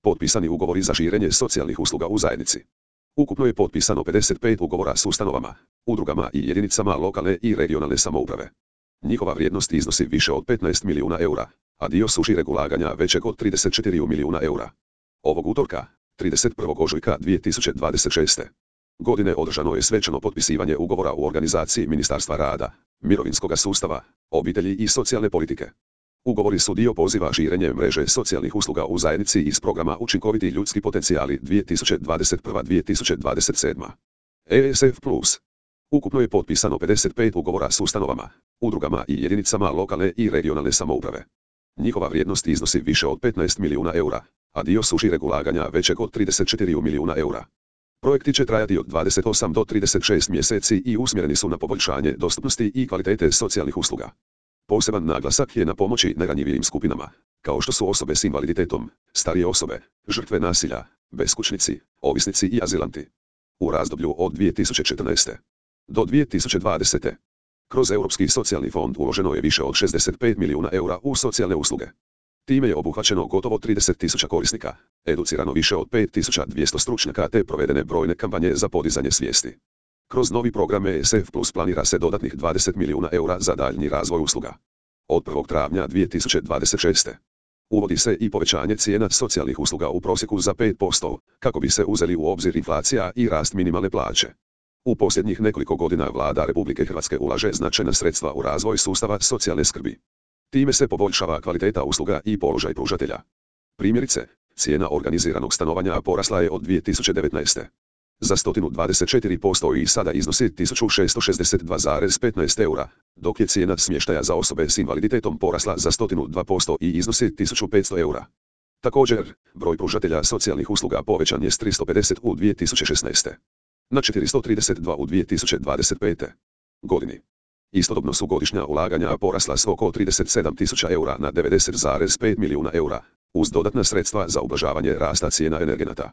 Potpisani ugovori za širenje socijalnih usluga u zajednici. Ukupno je potpisano 55 ugovora s ustanovama, udrugama i jedinicama lokalne i regionalne samouprave. Njihova vrijednost iznosi više od 15 milijuna eura, a dio su šireg ulaganja većeg od 34 milijuna eura. Ovog utorka, 31. ožujka 2026. godine održano je svečano potpisivanje ugovora u organizaciji Ministarstva rada, mirovinskoga sustava, obitelji i socijalne politike. Ugovori su dio poziva širenje mreže socijalnih usluga u zajednici iz programa Učinkoviti ljudski potencijali 2021-2027. ESF+. Ukupno je potpisano 55 ugovora s ustanovama, udrugama i jedinicama lokalne i regionalne samouprave. Njihova vrijednost iznosi više od 15 milijuna eura, a dio su šireg ulaganja većeg od 34 milijuna eura. Projekti će trajati od 28 do 36 mjeseci i usmjereni su na poboljšanje dostupnosti i kvalitete socijalnih usluga. Poseban naglasak je na pomoći najranjivijim skupinama, kao što su osobe s invaliditetom, starije osobe, žrtve nasilja, beskućnici, ovisnici i azilanti. U razdoblju od 2014. do 2020. kroz Europski socijalni fond uloženo je više od 65 milijuna eura u socijalne usluge. Time je obuhvaćeno gotovo 30.000 korisnika, educirano više od 5.200 stručnjaka te provedene brojne kampanje za podizanje svijesti. Kroz novi program ESF Plus planira se dodatnih 20 milijuna eura za daljnji razvoj usluga. Od 1. travnja 2026. uvodi se i povećanje cijena socijalnih usluga u prosjeku za 5%, kako bi se uzeli u obzir inflacija i rast minimalne plaće. U posljednjih nekoliko godina Vlada Republike Hrvatske ulaže značajna sredstva u razvoj sustava socijalne skrbi. Time se poboljšava kvaliteta usluga i položaj pružatelja. Primjerice, cijena organiziranog stanovanja porasla je od 2019. za 124% i sada iznosi 1662,15 eura, dok je cijena smještaja za osobe s invaliditetom porasla za 102% i iznosi 1500 eura. Također, broj pružatelja socijalnih usluga povećan je s 350 u 2016. na 432 u 2025. godini. Istodobno su godišnja ulaganja porasla s oko 37.000 eura na 90,5 milijuna eura, uz dodatna sredstva za ublažavanje rasta cijena energenata.